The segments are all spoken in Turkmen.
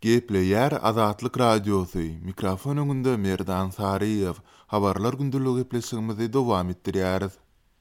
Gepleýär Azatlyk Radiosy, mikrofon öňünde Merdan Saryýew. Habarlar gündeligi gepleşigimizi dowam etdirýäris.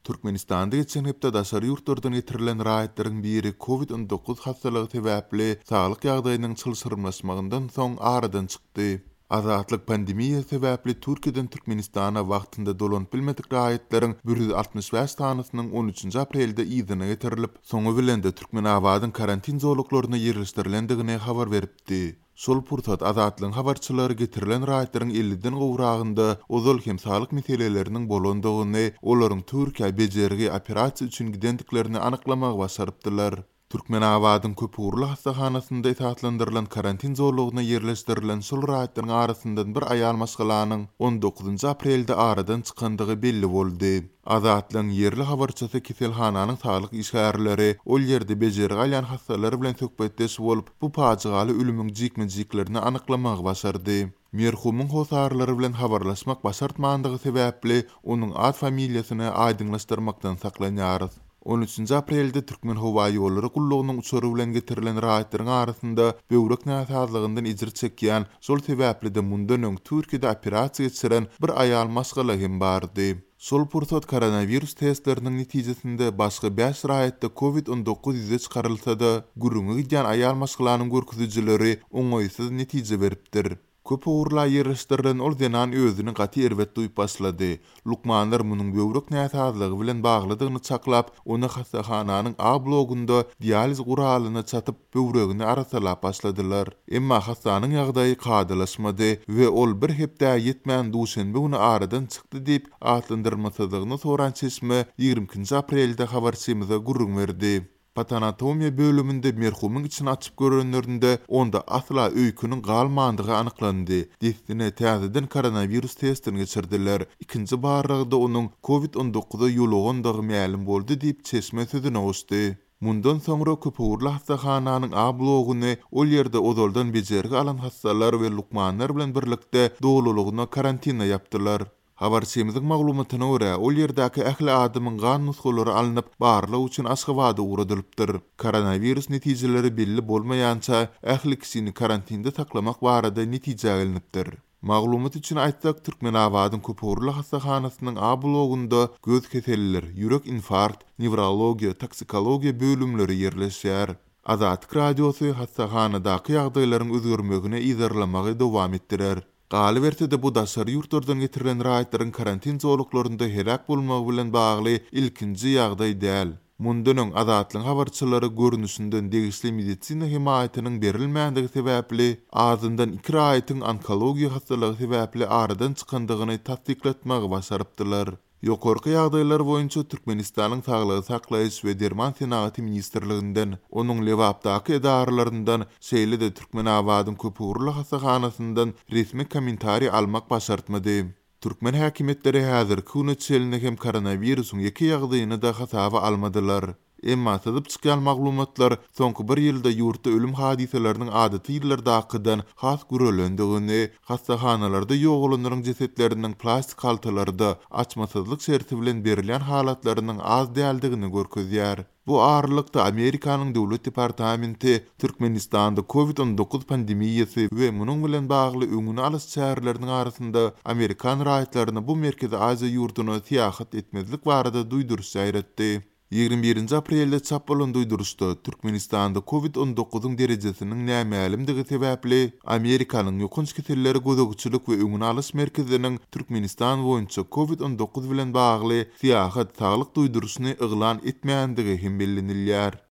Türkmenistanda geçen hepde daşary ýurtlardan getirilen raýatlaryň biri Covid 19 hassalygy sebäpli saglyk ýagdaýynyň çylşyrymlaşmagyndan soň aradan çykdy. Azatlyk pandemiýa sebäpli Türkiýeden Türkmenistana wagtynda dolanyp bilmedik raýatlaryň 165 sanysynyň on üçünji aprelde yzyna getirilip, Soňy bilen-de Türkmenabadyň karantin zolaklaryna ýerleşdirilendigini habar beripdi. Şol pursat Azatlygyň habarçylary getirilen raýatlaryň elliden gowragynda ozal hem saglyk meseleleriniň bolandygyny, olaryň Türkiýä bejergi, operasiýa üçin gidendiklerini anyklamagy başarypdylar. Türkmenabadyň köpugurly hassahanasynda esaslandyrylan karantin zolagyna ýerleşdirilen şol raýatlaryň arasyndan bir aýal maşgalanyň on dokuzynjy aprelde aradan çykandygy belli boldy. Azatlygyň ýerli habarçysy keselhananyň saglyk işgärleri, ol ýerde bejergi alýan hassalar bilen söhbetdeş bolup, bu pajygaly ölümiň jikme-jiklerini anyklamagy başardy. Merhumyň hossarlary bilen habarlaşmak başartmandygy sebäpli, onuň at-familiýasyny aýdyňlaşdyrmakdan saklanýarys. On üçünji aprelde Türkmenhowaýollary gullugynyň uçary bilen getirilen raýatlaryň arasynda böwrek näsazlygyndan ejir çekýän, şol sebäpli-de mundan öň Türkiýede operasiýa geçiren bir aýal maşgala hem bardy. Şol pursat koronawirus testleriniň netijesinde başga bäş raýatda Covid 19 ýüze çykarylsa-da, gürrüňi gidýän aýal maşgalanyň görkezijileri oňaýsyz netije beripdir. Köp ugurla ýerleşdirilen ol zenan özüni gaty erbet duýup başlady. Lukmanlar munuň böwrek näsazlygy bilen baglydygyny çaklap, ony hassahananyň A blogunda dializ guralyna çatyp, böwregini arassalap başladylar. Emma hassanyň ýagdaýy kadalaşmady we ol bir hepdä ýetmän duşenbe güni aradan çykdy diýip, atlandyrylmasyzlygyny soran çeşme 22-nji aprelde habarçymyza gürrüň berdi. Patanatomiýa bölüminde merhumyň içini açyp görenlerinde, onda asla öýkeniň galmandygy anyklandy. Dessine täzeden koronawirus testini geçirdiler. Ikinji barlagda onuň Covid 19-a ýolugandygy mälim boldy diýip, çeşme sözüne goşdy. Mundan soňra köpugurly hassahananyň A bloguny ol ýerde ozaldan bejergi alan hassalar we lukmanlar bilen birlikde dolulygyna karantina ýapdylar. Habarçymyzyň maglumatyna görä, ol ýerdäki ähli adamyň gan nusgalary alnyp, barlag üçin Aşgabada ugradylypdyr. Koronawirus netijeleri belli bolmaýança, ähli kişini karantinde saklamak barada netijä gelnipdir. Maglumat üçin aýtsak, Türkmenabadyň köpugurly hassahanasynyň A blogunda göz keselliler, ýürek infarkt, newrologiýa, toksikologiýa bölümleri ýerleşýär. Azatlyk Radiosy hassahanadaky ýagdaýlaryň özgermegini yzarlamagy dowam etdirer. Galyberse-de, bu daşary ýurtlardan getirilen raýatlaryň karantin zolaklarynda heläk bolmagy bilen bagly ilkinji ýagdaý däl. Mundan öň Azatlygyň habarçylary görnüşinden degişli medisina hemaýatynyň berilmändigi sebäpli azyndan iki raýatyň onkologiýa hassalygy sebäpli aradan çykandygyny tassyklatmagy başarypdylar. Ýokarky ýagdaýlar boýunça Türkmenistanyň Saglygy saklaýyş we derman senagaty ministrliginden, onuň Lebapdaky edaralaryndan, şeýle-de Türkmenabadyň köpugurly hassahanasyndan resmi kommentariý almak başartmady. Türkmen häkimiýetleri häzirki güne çenli hem koronawirusyň ýeke ýagdaýyny-da hasaba almadylar. Emma syzyp çykýan maglumatlar soňky bir ýylda ýurtda ölüm hadysalarynyň adaty ýyllardakydan has gürelendigini, hassahanalarda ýogalanlaryň jesetleriniň plastik haltalarda, açmasyzlyk şerti bilen berilýän halatlarynyň az däldigini görkezýär. Bu aralykda, Amerikanyň Döwlet departamenti Türkmenistanda Covid 19 pandemiýasy we munuň bilen bagly öňüni alyş çäreleriniň arasynda amerikan raýatlaryna bu Merkezi Aziýa ýurduna syýahat etmezlik barada duýduryş ýaýratdy. 21-nji aprelde çap bolan duýduryşda, Türkmenistanda Covid 19-yň derejesiniň nämälimdigi sebäpli, Amerikanyň Ýokanç kesellere gözegçilik we öňüni alyş merkeziniň Türkmenistan boýunça Covid 19 bilen bagly syýahat saglyk duýduryşyny yglan etmändigi hem bellenilýär.